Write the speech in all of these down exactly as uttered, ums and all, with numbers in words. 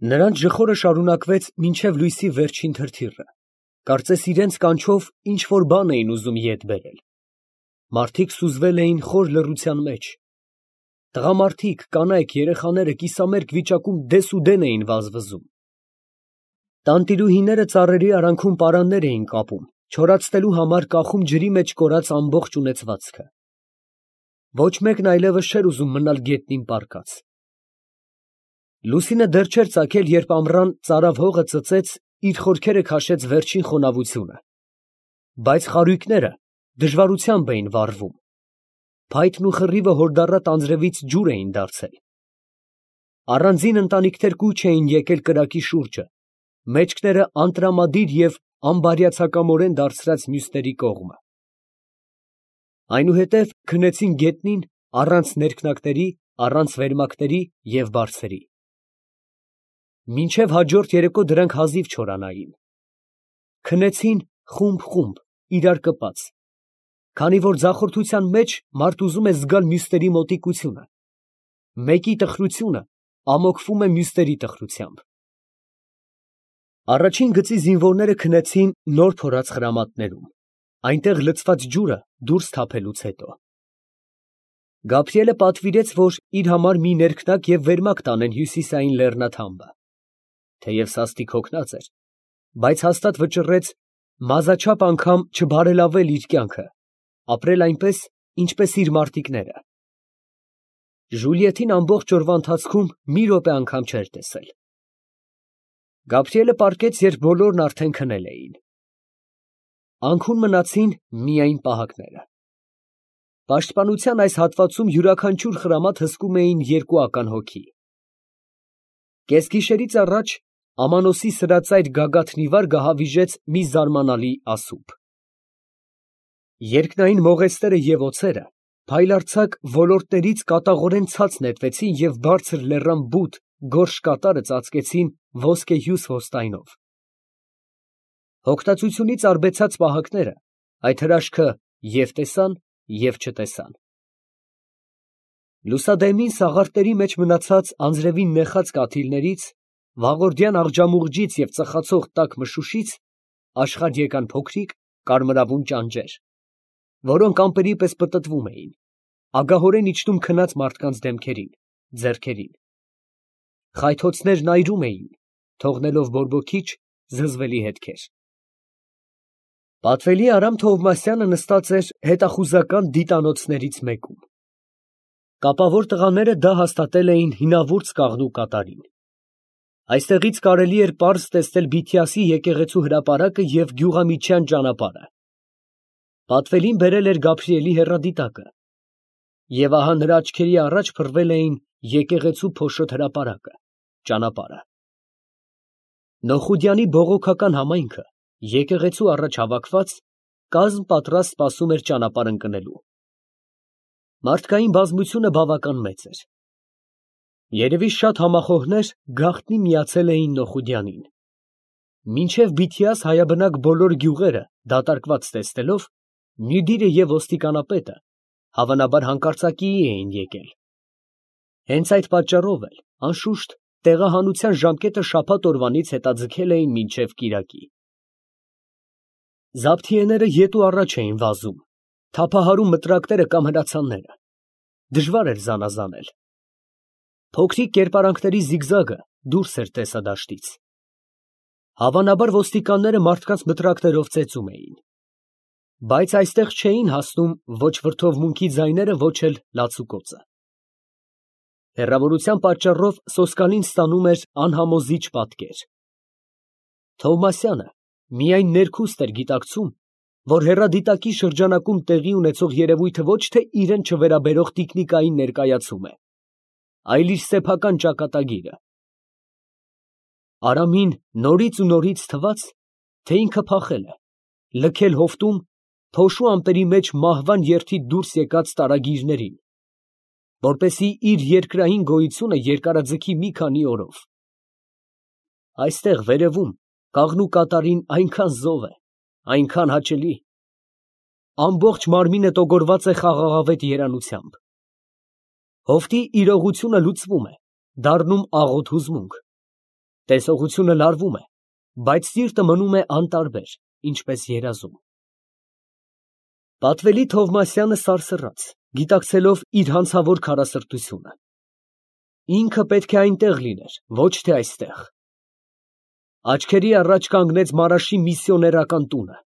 Նրանց ժխորը շարունակվեց մինչև լույսի վերջին թրթիռը, կարծես իրենց կանչով ինչ֊որ բան էին ուզում ետ բերել. մարդիկ սուզվել էին խոր լռության մեջ, տղամարդիկ, կանայք, երեխաները կիսամերկ վիճակում դեսուդեն էին վազվզում, տանտիրուհիները ծառերի արանքում պարաններ էին կապում, չորացնելու համար կախում ջրի մեջ կորած ամբողջ ունեցվածքը. ոչ մեկն այլևս չէր ուզում մնալ գետնին պառկած։ Լուսինը դեռ չէր ծագել, երբ ամռան ծարավ հողը ծծեց, իր խորքերը քաշեց վերջին խոնավությունը, բայց խարույկները դժվարությամբ էին վառվում, փայտն ու խռիվը հորդառատ անձրևից ջուր էին դարձել։ Առանձին ընտանիքներ կուչ էին եկել կրակի շուրջը, մեջքները անտրամադիր և անբարյացակամորեն դարձրած մյուսների կողմը։ Այնուհետև քնեցին գետնին առանց ներքնակների, առանց վերմակների և բարձերի։ Մինչև հաջորդ երեկո դրանք հազիվ չորանային։ Քնեցին խումբ֊խումբ, իրար կպած, քանի որ ձախորդության մեջ մարդ ուզում է զգալ մյուսների մոտիկությունը, մեկի տխրությունը ամոքվում է մյուսների տխրությամբ։ Առաջին գծի զինվորները քնեցին նոր փորած խրամատներում, այնտեղ լցված ջուրը դուրս թափելուց հետո։ Գաբրիելը պատվիրեց, որ իր համար մի ներքնակ և վերմակ տանեն հյուսիսային լեռնաթամբը, թեև սաստիկ հոգնած էր, բայց հաստատ վճռեց մազաչափ անգամ չբարելավել իր կյանքը, ապրել այնպես, ինչպես իր մարտիկները։ Ժուլիետին ամբողջ օրվա ընթացքում մի րոպե անգամ չէր տեսել։ Գաբրիելը պառկեց, երբ բոլորն արդեն քնել էին։ Անքուն մնացին միայն պահակները։ Պաշտպանության այս հատվածում յուրաքանչյուր խրամատ հսկում էին երկու ական հոգի։ Կեսգիշերից առաջ Ամանոսի սրածայր գագաթն ի վար գահավիժեց մի զարմանալի ասուփ։ Երկնային մողեսները և օձերը փայլարձակ ոլորտներից կատաղորեն ցած նետվեցին և բարձր լեռան բութ, գորշ կատարը ծածկեցին ոսկեհյուս հոստայնով։ Հոգտացությունից արբեցած պահակները այդ հրաշքը և տեսան, և չտեսան։ Լուսադեմին սաղարթների մեջ մնացած անձրևին նեխած կաթիլներից, վաղորդյան աղջամուղջից և ծխացող տաք մշուշից աշխարհ եկան փոքրիկ կարմրավուն ճանճեր, որոնք ամպերի պես պտտվում էին, ագահորեն իջնում քնած մարդկանց դեմքերին, ձեռքերին։ Խայթոցներն այրում էին, թողնելով բորբոքիչ, զզվելի հետքեր։ Պատվելի Արամ Թովմասյանը նստած էր հետախուզական դիտանոցներից մեկում։ Կապավոր տղաները դա հաստատել էին հինավուրց կաղնու կատարին։ Այստեղից կարելի էր պարզ տեսնել Բիթյասի եկեղեցու հրապարակը և գյուղամիջյան ճանապարհը։ Պատվելին բերել էր Գաբրիելի հեռադիտակը, և ահա նրա աչքերի առաջ փռվել էին եկեղեցու փոշոտ հրապարակը, ճանապարհը։ Նոխուդյանի բողոքական համայնքը, եկեղեցու առաջ հավաքված, կազմ պատրաստ սպասում էր ճանապարհ ընկնելու։ Մարդկային բազմությունը բավական մեծ էր։ Երևի շատ համախոհներ գաղտնի միացել էին Նոխուդյանին։ Մինչև Բիթյաս հայաբնակ բոլոր գյուղերը դատարկված տեսնելով, Մյուդիրը և ոստիկանապետը հավանաբար հանկարծակիի էին եկել։ Հենց այդ պատճառով էլ, անշուշտ, տեղահանության ժամկետը շաբաթ օրվանից հետաձգել էին մինչև կիրակի։ Զաբթիեները ետ ու առաջ էին վազում, թափահարում մտրակները կամ հրացանները։ Դժվար էր զանազանել։ Փոքրիկ կերպարանքների զիգզագը դուրս էր տեսադաշտից։ Հավանաբար ոստիկանները մարդկանց մտրակներով ծեծում էին։ Բայց այստեղ չէին հասնում ոչ վրդովմունքի ձայները, ոչ էլ լացուկոծը։ Հեռավորության պատճառով սոսկալին ստանում էր անհամոզիչ պատկեր։ Թովմասյանը միայն ներքուստ էր գիտակցում, որ հեռադիտակի շրջանակում տեղի ունեցող երևույթը ոչ թե իրան չվերաբերող տիկնիկային ներկայացում է, այլ իր սեփական ճակատագիրը։ Արամին նորից ու նորից թվաց, թե ինքը փախել է, լքել հովտում, փոշու ամպերի մեջ մահվան երդից դուրս եկած տարագիրներին, որպեսզի իր երկրային գոյությունը երկարաձգի մի քանի օրով։ Այստեղ վերևում կաղնու կատարին այնքան զով է, այնքան հաճելի, ամբողջ մարմինը տոգորված է խաղաղավետ երանությամբ։ Հովտի իրողությունը լուծվում է, դառնում աղոտ հուզմունք, Տեսողությունը լարվում է, բայց սիրտը մնում է անտարբեր, ինչպես երազում։ Պատվելի Թովմասյանը սարսռաց, գիտակցելով իր հանցավոր քարասրտությունը։ Ինքը պետք է այնտեղ լիներ, ոչ թե այստեղ։ Աչքերի առաջ կանգնեց Մարաշի միսիոներական տունը։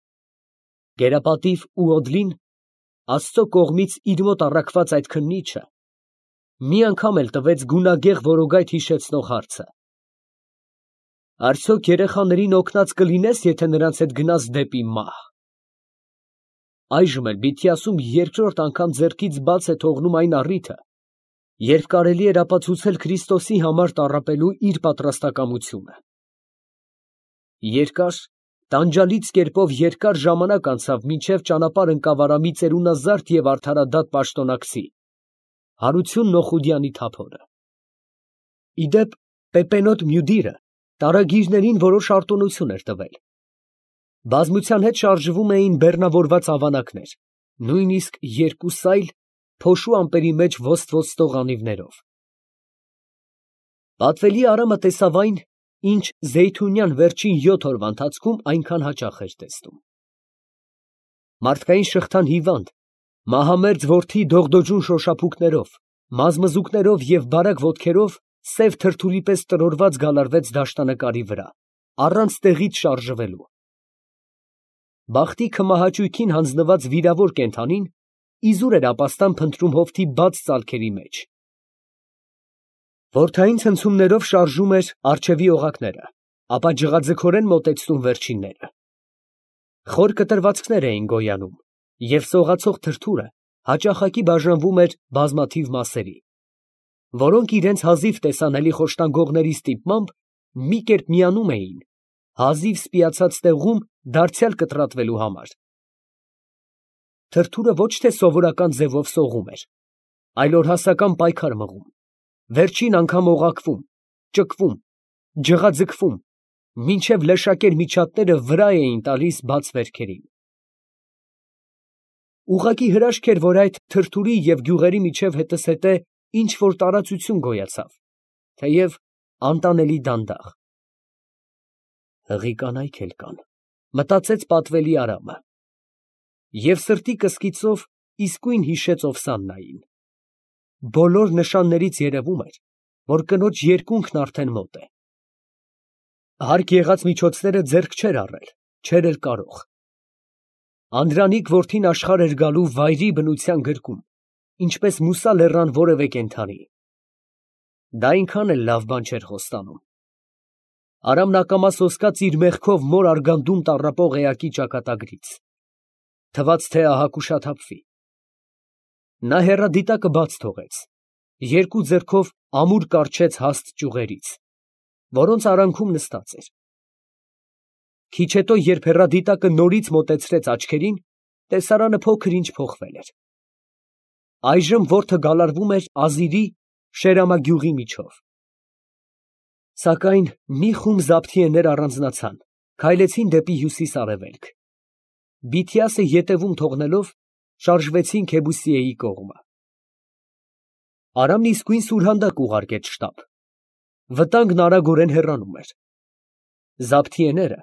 Գերապատիվ ու Օդլին, Աստծո կողմից իր մոտ առաքված այդ քննիչը, մի անգամ էլ տվեց գունագեղ որոգայթ հիշեցնող հարցը. «Արդյոք երեխաներին օգնած կլինես, եթե նրանց հետ գնաս դեպի մահ»։ Այժմ էլ Բիթիասում երկրորդ անգամ ձեռքից բաց է թողնում այն առիթը, երբ կարելի էր ապացուցել Քրիստոսի համար տառապելու իր պատրաստակամությունը։ Երկար, տանջալից կերպով երկար ժամանակ անցավ, մինչև ճանապարհ ընկավ Արամի ծերունազարդ և արդարադատ պաշտոնակցի Հարություն Նոխուդյանի թափորը։ Ի դեպ, Պեպենոտ Մյուդիրը տարագիրներին որոշ արտոնություն էր տվել։ Բազմության հետ շարժվում էին բեռնավորված ավանակներ, նույնիսկ երկու սայլ, փոշու ամպերի մեջ ոստ-ոստող անիվներով։ Պատվելի Արամը տեսավ այն, ինչ Զեյթունյան վերջին յոթ օրվա ընթացքում այնքան հաճախ էր տեսնում։ Մարդկային շղթան հիվանդ, մահամերձ որդի դողդոջուն շոշափուկներով, մազմզուկներով և բարակ ոտքերով սև թրթուրի պես տրորված գալարվեց դաշտանկարի վրա, առանց տեղից շարժվելու։ Բախտի քմահաճույքին հանձնված վիրավոր կենդանին իզուր էր ապաստան փնտրում հովտի բաց ծալքերի մեջ։ Որդային ցնցումներով շարժում էր առջևի օղակները, ապա ջղաձգորեն մոտեցնում վերջինները։ Խոր կտրվածքներ էին գոյանում, և սողացող թրթուրը հաճախակի բաժանվում էր բազմաթիվ մասերի, որոնք իրենց հազիվ տեսանելի խոշտանգողների ստիպմամբ մի կերպ միանում էին հազիվ սպիացած տեղում դարձյալ կտրատվելու համար։ Թրթուրը ոչ թե սովորական ձևով սողում էր, այլ օրհասական պայքար մղում, վերջին անգամ օղակվում, ճկվում, ջղաձգվում, մինչև լեշակեր միջատները վրա էին տալիս բաց վերքերին։ Ուղղակի հրաշք էր, որ այդ թրթուրի և գյուղերի միջև հետզհետե ինչ֊որ տարածություն գոյացավ, թեև անտանելի դանդաղ։ Հղի կանայք էլ կան, մտածեց պատվելի Արամը, և սրտի կսկիծով իսկույն հիշեց Օվսաննային։ Բոլոր նշաններից երևում էր, որ կնոջ երկունքն արդեն մոտ է։ Հարկ եղած միջոցները ձեռք չէր առել, չէր էլ կարող։ Անդրանիկ որդին աշխարհ էր գալու վայրի բնության գրկում, ինչպես Մուսա լեռան որևէ կենդանի։ Դա այնքան էլ լավ բան չէր խոստանում։ Արամն ակամա սոսկաց իր մեղքով մոր արգանդում տառապող էակի ճակատագրից։ Թվաց, թե ահա կուշաթափվի։ Նա հեռադիտակը բաց թողեց, երկու ձեռքով ամուր կառչեց հաստ ճյուղերից, որոնց արանքում նստած էր։ Քիչ հետո, երբ հեռադիտակը նորից մոտեցրեց աչքերին, տեսարանը փոքր-ինչ փոխվել էր։ Այժմ որջը գալարվում էր Ազիրի Շերամա գյուղի միջով։ Սակայն մի խումբ զաբթիեներ առանձնացան, քայլեցին դեպի հյուսիս֊արևելք։ Բիթիասը ետևում թողնելով, շարժվեցին Քեբուսիեի կողմը։ Արամն իսկույն սուրհանդակ ուղարկեց շտապ։ Վտանգն արագորեն հեռանում էր։ Զաբթիեները,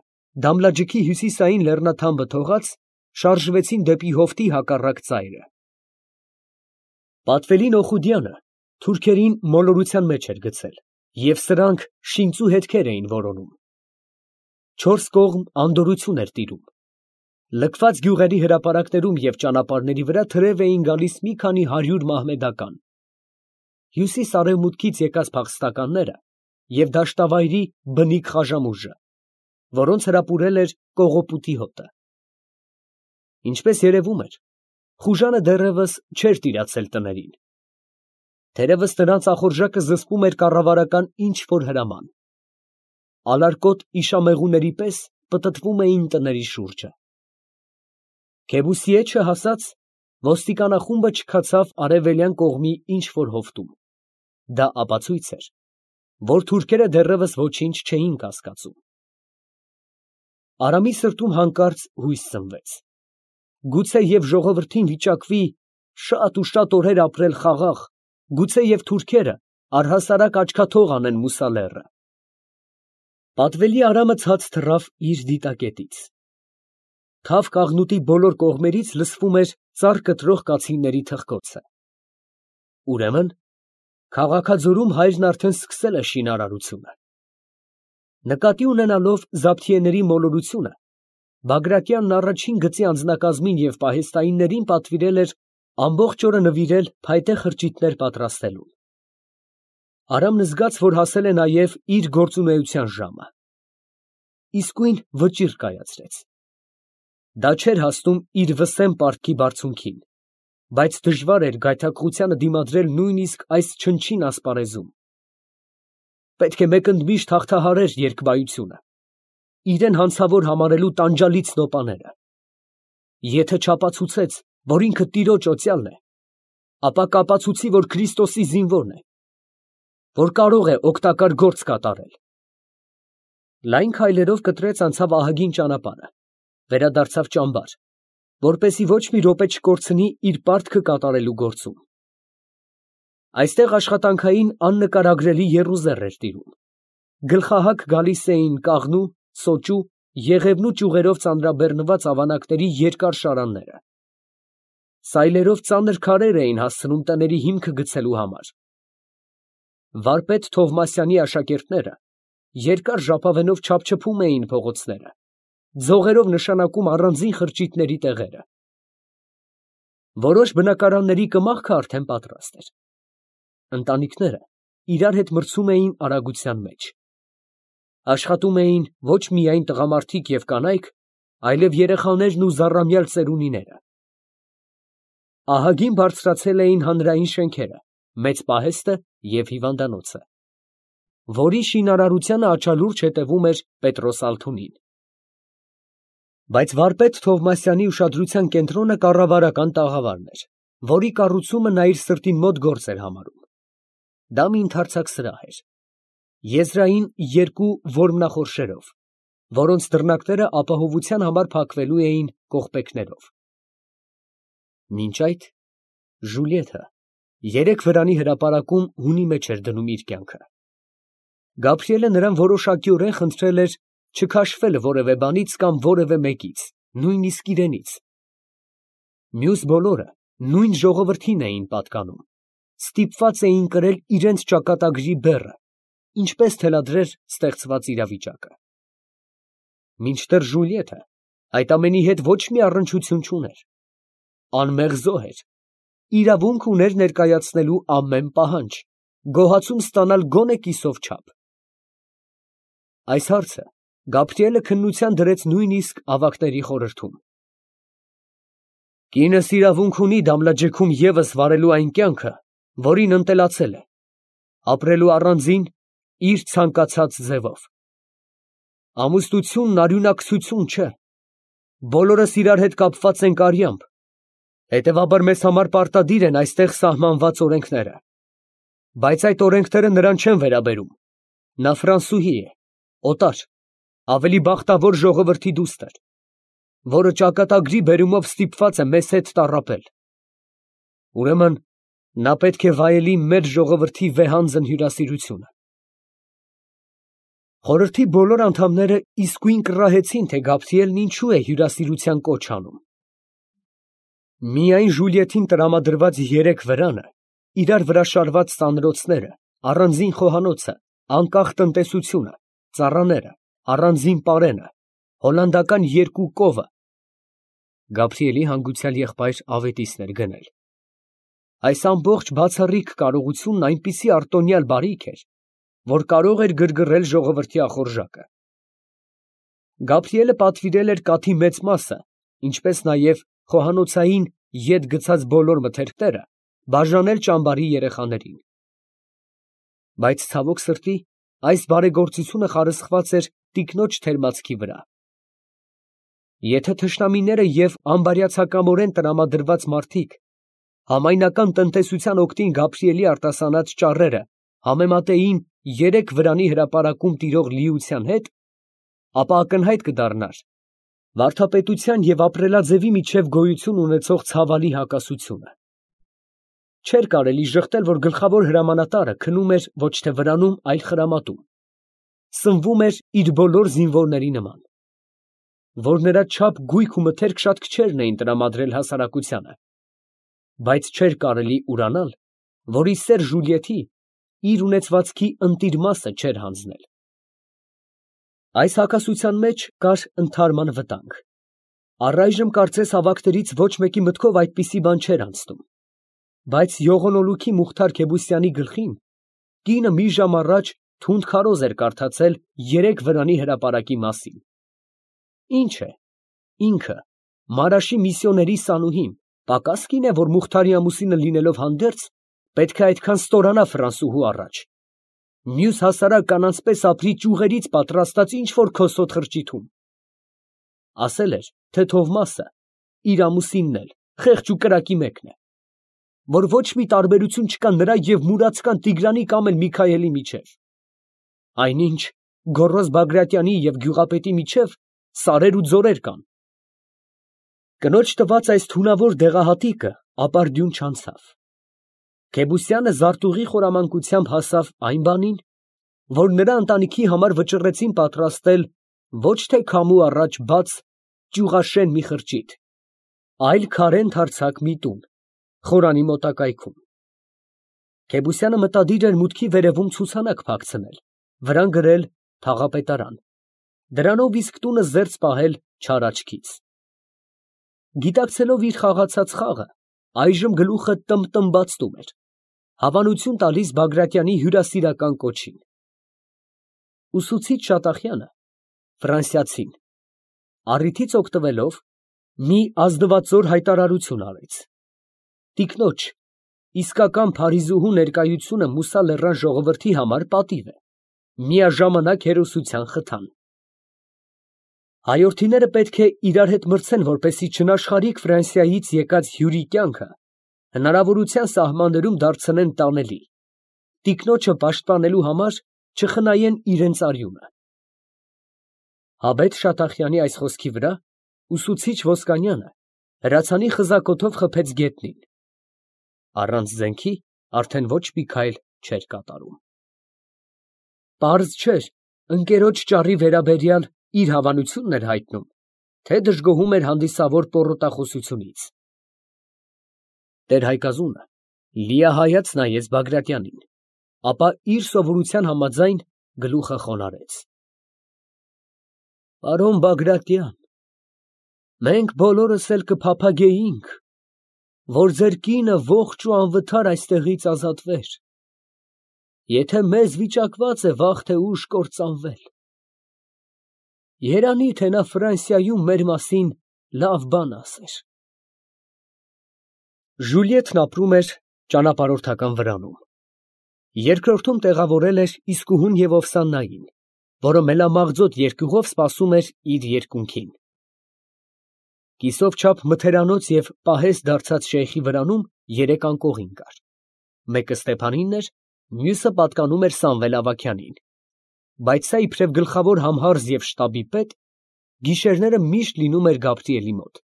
Դամլաջիքի հյուսիսային լեռնաթամբը թողած, շարժվեցին դեպի հովտի հակառակ ծայրը։ Պատվելի Նոխուդյանը թուրքերին մոլորության մեջ էր գցել, և սրանք շինծու հետքեր էին որոնում։ Չորս կողմ անդորրություն էր տիրում։ Լքված գյուղերի հրապարակներում և ճանապարհների վրա թրև էին գալիս մի քանի հարյուր մահմեդական, հյուսիս֊արևմուտքից եկած փախստականները և դաշտավայրի բնիկ Խաժամուժը, որոնց հրապուրել էր կողոպուտի հոտը։ Ինչպես երևում էր, Խուժանը դեռևս չէր տիրացել տներին։ Թերևս նրանց ախորժակը զսպում էր կառավարական ինչ֊որ հրաման։ Ալարկոտ իշամեղուների պես պտտվում էին տների շուրջը։ Քեբուսիե չհասած, ոստիկանախումբը չքացավ արևելյան կողմի ինչ֊որ հովտում։ Դա ապացույց էր, որ թուրքերը դեռևս ոչինչ չէին կասկածում։ Արամի սրտում հանկարծ հույս ծնվեց։ Գուցե և ժողովրդին վիճակվի շատ ու շատ օրեր ապրել խաղաղ, գուցե և թուրքերը առհասարակ աչքաթող անեն Մուսա լեռը։ Պատվելի Արամը ցած թռավ իր դիտակետից։ Թավ կաղնուտի բոլոր կողմերից լսվում էր ծառ կտրող կացինների թխկոցը։ Ուրեմն, քաղաքաձորում հայրն արդեն սկսել է շինարարությունը։ Նկատի ունենալով զաբթիեների մոլորությունը, Բագրատյանն առաջին գծի անձնակազմին և պահեստայիններին պատվիրել էր ամբողջ օրը նվիրել փայտե խրճիթներ պատրաստելուն։ Արամն զգաց, որ հասել է նաև իր գործունեության ժամը։ Իսկույն վճիռ կայացրեց։ Դա չէր հասնում իր վսեմ պարտքի բարձունքին, բայց դժվար էր գայթակղությանը դիմադրել նույնիսկ այս չնչին ասպարեզում։ Պետք է մեկընդմիշտ հաղթահարեր երկբայությունը, իրեն հանցավոր համարելու տանջալից նոպաները։ Եթե չապացուցեց, որ ինքը տիրոջ օծյալն է, ապա կապացուցի, որ Քրիստոսի զինվորն է, որ կարող է օգտակար գործ կատարել։ Լայն քայլերով կտրեց անցավ ահագին ճանապարհը, վերադարձավ ճամբար, որպեսզի ոչ մի րոպե չկորցնի իր պարտքը կատարելու գործում։ Այստեղ աշխատանքային աննկարագրելի եռուզեռ էր տիրում։ Գլխահակ գալիս էին կաղնու, սոճու, եղևնու ճյուղերով ծանրաբեռնված ավանակների երկար շարանները։ Սայլերով ծանր քարեր էին հասցնում տների հիմքը գցելու համար։ Վարպետ Թովմասյանի աշակերտները երկար ժապավենով չափչփում էին փողոցները, ձողերով նշանակում առանձին խրճիթների տեղերը։ Որոշ բնակարանների կմախքը արդեն պատրաստ էր։ Ընտանիքները իրար հետ մրցում էին արագության մեջ։ Աշխատում էին ոչ միայն տղամարդիկ և կանայք, այլև երեխաներն ու զառամյալ ծերունիները։ Ահագին բարձրացել էին հանրային շենքերը, մեծ պահեստը և հիվանդանոցը, որի շինարարությանը աչալուրջ հետևում էր Պետրոս Ալթունին։ Բայց վարպետ Թովմասյանի ուշադրության կենտրոնը կառավարական տաղավարն էր, որի կառուցումը նա իր սրտին մոտ գործ էր համարում։ Դա մի ընդարձակ սրահ էր, եզրային երկու որմնախորշերով, որոնց դռնակները ապահովության համար փակվելու էին կողպեքներով։ Մինչ այդ Ժուլիեթը երեք վրանի հրապարակում հունի մեջ էր դնում իր կյանքը։ Գաբրիելը նրան որոշակիորեն խնդրել էր չքաշվել որևէ բանից կամ որևէ մեկից, նույնիսկ իրենից։ Մյուս բոլորը նույն ժողովրդին էին պատկանում, ստիպված էին կրել իրենց ճակատագրի բեռը, ինչպես թելադրեր ստեղծված իրավիճակը։ Մինչդեռ Ժուլիեթը այդ ամենի հետ ոչ մի առնչություն չուներ, անմեղ զոհ էր, իրավունք ուներ ներկայացնելու ամեն պահանջ, գոհացում ստանալ գոնե կիսով չափ։ Այս հարցը Գաբրիելը քննության դրեց նույնիսկ ավագների խորհրդում։ Կինս իրավունք ունի դամլաջեքում ևս վարելու այն կյանքը, որին ընտելացել է, ապրելու առանձին իր ցանկացած ձևով։ Ամուսնությունն արյունակցություն չէ, բոլորս իրար հետ կապված ենք արյամբ, հետևաբար մեզ համար պարտադիր են այստեղ սահմանված օրենքները, բայց այդ օրենքները նրան չեն վերաբերում, նա ֆրանսուհի է, օտար, ավելի բախտավոր ժողովրդի դուստր, որը ճակատագրի բերումով ստիպված է մեզ հետ տառապել։ Ուրեմն նա պետք է վայելի մեր ժողովրդի վեհանձն հյուրասիրությունը։ Խորհրդի բոլոր անդամները իսկույն կռահեցին, թե Գաբրիելն ինչու է հյուրասիրության կոչ անում։ Միայն Ժուլիեթին տրամադրված երեք վրանը, իրար վրա շարված սանրոցները, առանձին խոհանոցը, անկախ տնտեսությունը, ծառաները, առանձին պարենը, հոլանդական երկու կովը, Գաբրիելի հանգուցյալ եղբայր ավետիսն էր գնել։ Այս ամբողջ բացառիկ կարողությունն այնպիսի արտոնյալ բարիք էր, որ կարող էր գրգռել ժողովրդի ախորժակը։ Գաբրիելը պատվիրել էր կաթի մեծ մասը, ինչպես նաև խոհանոցային ետ գցած բոլոր մթերքները բաժանել ճամբարի երեխաներին։ Բայց ցավոք սրտի, այս բարեգործությունը խարսխված էր տիկնոջ թերմացքի վրա։ Եթե թշնամիները և անբարյացակամորեն տրամադրված մարդիկ համայնական տնտեսության օգտին Գաբրիելի արտասանած ճառերը համեմատեին երեք վրանի հրապարակում տիրող լիության հետ, ապա ակնհայտ կդառնար վարդապետության և ապրելաձևի միջև գոյություն ունեցող ցավալի հակասությունը։ Չէր կարելի ժխտել, որ գլխավոր հրամանատարը քնում էր ոչ թե վրանում, այլ խրամատում։ սնվում էր իր բոլոր զինվորների նման, որ նրա չափ, գույք ու մթերք շատ քչերն էին տրամադրել հասարակությանը, բայց չէր կարելի ուրանալ, որ ի սեր Ժուլիեթի իր ունեցվածքի ընտիր մասը չէր հանձնել։ Այս հակասության մեջ կար ընդհարման վտանգ։ Առայժմ կարծես հավաքներից ոչ մեկի մտքով այդպիսի բան չէր անցնում, բայց յողոնոլուքի Մուխթար Քեբուսյանի գլխին կինը մի ժամ առաջ թունդ քարոզ էր կարդացել երեք վրանի հրապարակի մասին։ Ինչ է, ինքը, Մարաշի միսիոների սանուհին, պակաս կին է, որ Մուխթարի ամուսինը լինելով հանդերձ, պետք է այդքան ստորանա ֆրանսուհու առաջ, մյուս հասարակ կանանց պես ապրի ճյուղերից պատրաստած ինչ-որ քոսոտ խրճիթում։ Ասել էր, թե Թովմասը, իր ամուսինն էլ, խեղճ ու կրակի մեկն է, որ ոչ մի տարբերություն չկա նրա և մուրացկան Տիգրանի կամ էլ Միքայելի միջև։ Այնինչ Գոռոզ Բագրատյանի և գյուղապետի միջև սարեր ու ձորեր կան։ Կնոջ տված այս թունավոր դեղահատիկը ապարդյուն չանցավ։ Քեբուսյանը զարտուղի խորամանկությամբ հասավ այն բանին, որ նրա ընտանիքի համար վճռեցին պատրաստել ոչ թե քամու առաջ բաց ճյուղաշեն մի խրճիթ, այլ քարե ընդարձակ մի տուն, խորանի մոտակայքում։ Քեբուսյանը մտադիր էր մուտքի վերևում ցուցանակ փակցնել, վրան գրել թաղապետարան, դրանով իսկ տունը զերծ պահել չար աչքից։ Գիտակցելով իր խաղացած խաղը, այժմ գլուխը տմբտմբացնում էր, հավանություն տալիս Բագրատյանի հյուրասիրական կոչին։ Ուսուցիչ Շատախյանը, ֆրանսիացին, առիթից օգտվելով, մի ազնվածոր հայտարարություն արեց. «Տիկնոջ, իսկական Փարիզուհու ներկայությունը Մուսա լեռան ժողովրդի համար պատիվ է, միաժամանակ հերոսության խթան։ Հայորդիները պետք է իրար հետ մրցեն, որպեսզի չնաշխարհիկ Ֆրանսիայից եկած հյուրի կյանքը հնարավորության սահմաններում դարձնեն տանելի, տիկնոջը պաշտպանելու համար չխնայեն իրենց արյունը»։ Հաբետ Շատախյանի այս խոսքի վրա ուսուցիչ Ոսկանյանը հրացանի խզակոթով խփեց գետնին, առանց զենքի արդեն ոչ մի քայլ չէր կատարում։ Պարզ չէր ընկերոջ ճառի վերաբերյալ իր հավանությունն էր հայտնում, թե դժգոհում էր հանդիսավոր պոռոտախոսությունից։ Տեր֊Հայկազունը լիահայաց նայեց Բագրատյանին, ապա իր սովորության համաձայն գլուխը խոնարհեց։ Պարոն Բագրատյան, մենք բոլորս էլ կփափագեինք, որ ձեր կինը ողջ ու անվթար այստեղից ազատվեր, եթե մեզ վիճակված է վաղ թե ուշ կործանվել։ Երանի թե նա Ֆրանսիայում մեր մասին լավ բան ասեր։ Ժուլիետն ապրում էր ճանապարհորդական վրանում։ Երկրորդում տեղավորել էր իսկուհուն և Օվսաննային, որը մելամաղձոտ երկյուղով սպասում էր իր երկունքին։ Կիսով չափ մթերանոց և պահես դարձած շեյխի վրանում երեք անկողին կար, մեկը Ստեփանինն էր, մյուսը պատկանում էր Սամվել Ավագյանին, բայց սա իբրև գլխավոր համհարզ և շտաբի պետ, գիշերները միշտ լինում էր Գաբրիելի մոտ։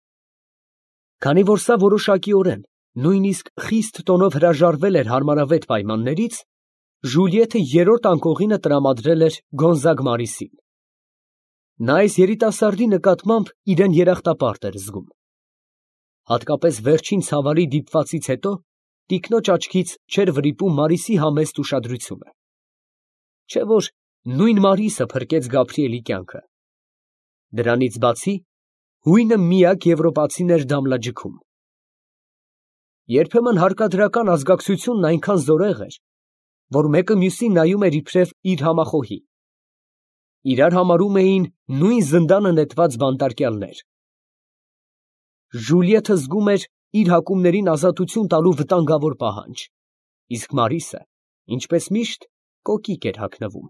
Քանի որ սա որոշակիորեն, նույնիսկ խիստ տոնով հրաժարվել էր հարմարավետ պայմաններից, Ժուլիեթը երրորդ անկողինը տրամադրել էր Գոնզագ Մարիսին։ Նա այս երիտասարդի նկատմամբ իրան երախտապարտ էր զգում։ Հատկապես վերջին ցավալի դիպվածից հետո տիկնոջ աչքից չէր վրիպում Մարիսի համեստ ուշադրությունը։ Չէ՞ որ նույն Մարիսը փրկեց Գաբրիելի կյանքը։ Դրանից բացի, հույնը միակ եվրոպացին էր Դամլաջքում։ Երբեմն հարկադրական ազգակցությունն այնքան զորեղ էր, որ մեկը մյուսին նայում էր իբրև իր համախոհի։ Իրար համարում էին նույն զնդանը նետված բանտարկյալներ։ Ժուլիեթը զգում էր իր հակումներին ազատություն տալու վտանգավոր պահանջ, իսկ Մարիսը, ինչպես միշտ, կոկիկ էր հագնվում։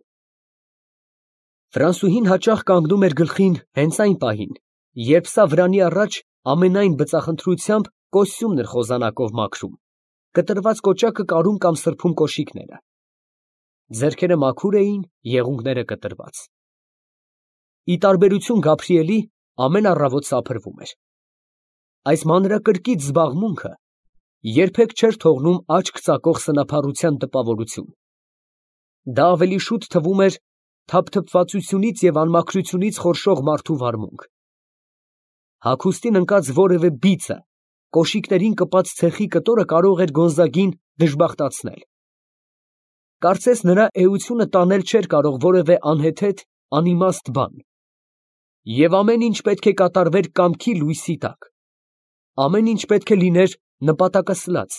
Ֆրանսուհին հաճախ կանգնում էր գլխին հենց այն պահին, երբ սա վրանի առաջ ամենայն բծախնդրությամբ կոստյումն էր խոզանակով մաքրում, կտրված կոճակը կարում կամ սրբում կոշիկները։ Ձեռքերը մաքուր էին, եղունգները կտրված։ Ի տարբերություն Գաբրիելի, ամեն առավոտ սափրվում էր։ Այս մանրակրկիտ զբաղմունքը երբեք չէր թողնում աչք ծակող սնափառության տպավորություն։ Դա ավելի շուտ թվում էր թափթփվածությունից և անմաքրությունից խորշող մարդու վարմունք։ Հագուստին ընկած որևէ բիծը, կոշիկներին կպած ցեխի կտորը կարող էր Գոնզագին դժբախտացնել։ Կարծես նրա էությունը տանել չէր կարող որևէ անհեթեթ, անիմաստ բան։ Եվ ամեն ինչ պետք է կատարվեր կամքի լույսի տակ։ Ամեն ինչ պետք է լիներ նպատակասլաց,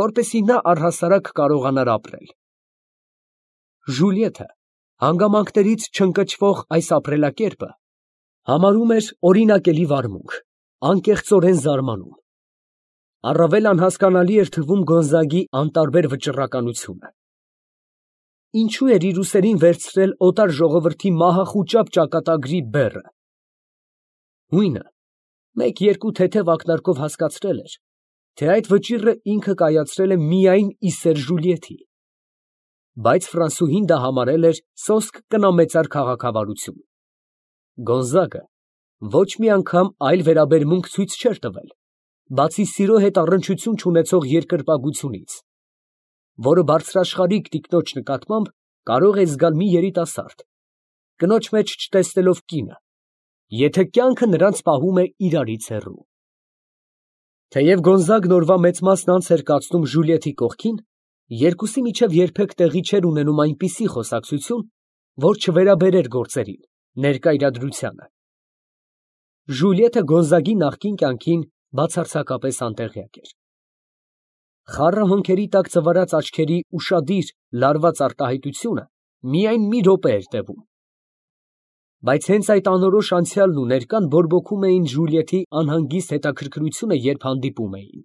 որպեսզի նա առհասարակ կարողանար ապրել։ Ժուլիեթը հանգամանքներից չընկճվող այս ապրելակերպը համարում էր օրինակելի վարմունք, անկեղծորեն զարմանում։ Առավել անհասկանալի էր թվում Գոնզագի անտարբեր վճռականությունը։ Ինչո՞ւ էր իր ուսերին վերցրել օտար ժողովրդի մահախուճապ ճակատագրի բեռը։ Հույնը մեկ֊երկու թեթև ակնարկով հասկացրել էր, թե այդ վճիռը ինքը կայացրել է միայն ի սեր Ժուլիեթի, բայց ֆրանսուհին դա համարել էր սոսկ կնամեծար քաղաքավարություն։ Գոնզագը ոչ մի անգամ այլ վերաբերմունք ցույց չէր տվել, բացի սիրո հետ առնչություն չունեցող երկրպագությունից, որը բարձրաշխարհիկ տիկնոջ նկատմամբ կարող է զգալ մի երիտասարդ, կնոջ մեջ չտեսնելով կինը, եթե կյանքը նրանց պահում է իրարից հեռու։ Թեև Գոնզագն օրվա մեծ մասն անց էր կացնում Ժուլիեթի կողքին, երկուսի միջև երբեք տեղի չէր ունենում այնպիսի խոսակցություն, որ չվերաբերեր գործերին, ներկա իրադրությանը։ Ժուլիեթը Գոնզագի նախկին կյանքին բացարձակապես անտեղյակ էր։ Խառը հոնքերի տակ ծվարած աչքերի ուշադիր, լարված արտահայտությունը միայն մի րոպե էր տևում։ Բայց հենց այդ անորոշ անցյալն ու ներկան բորբոքում էին Ժուլիեթի անհանգիստ հետաքրքրությունը, երբ հանդիպում էին։